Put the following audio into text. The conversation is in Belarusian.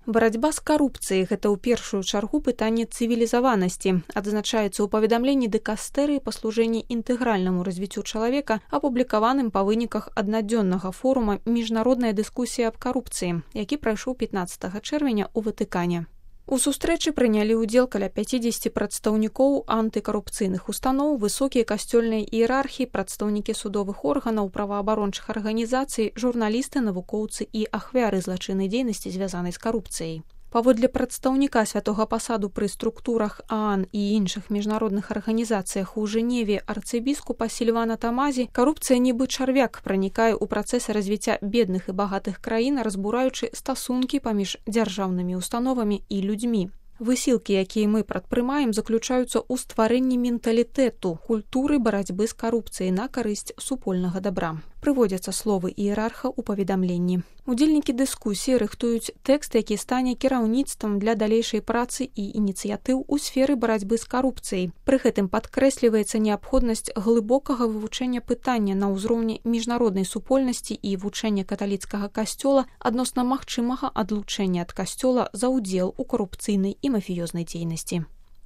Барацьба з карупцыяй – гэта ў першую чаргу пытанне цывілізаванасці, адзначаецца ў паведамленні дыкастэрыі па служэнні інтэгральнаму развіццю чалавека, апублікаваным па выніках аднадзённага форума «Міжнародная дыскусія аб карупцыі», які прайшоў 15 чэрвеня ў Ватыкане. У сустрэчы прынялі ўдзел каля 50 прадстаўнікоў антыкарупцыйных устаноў, высокія касцёльныя іерархі, прадстаўнікі судовых органаў, праваабарончых арганізацый, журналісты, навукоўцы і ахвяры злачыннай дзейнасці, звязанай з карупцыяй. Паводле прадстаўніка святога пасаду пры структурах ААН і іншых міжнародных арганізацыях у Жэневе арцыбіскупа Сільвана Тамазі, карупцыя нібы чарвяк пранікае ў працэсы развіцця бедных і багатых краін, разбураючы стасункі паміж дзяржаўнымі установамі і людзьмі. Высілкі, якія мы прадпрымаем, заключаюцца ў стварэнні менталітэту, культуры барацьбы з карупцыяй на карысць супольнага дабра. Прыводзяцца словы іерарха ў паведамленні. Удзельнікі дыскусіі рыхтуюць тэкст, які стане кіраўніцтвам для далейшай працы і ініцыятыў у сферы барацьбы з карупцыяй. Пры гэтым падкрэсліваецца неабходнасць глыбокага вывучэння пытання на ўзроўні міжнароднай супольнасці і вучэння каталіцкага касцёла адносна магчымага адлучэння ад касцёла за ўдзел у карупцыйнай і мафіёзнай дзейнасці.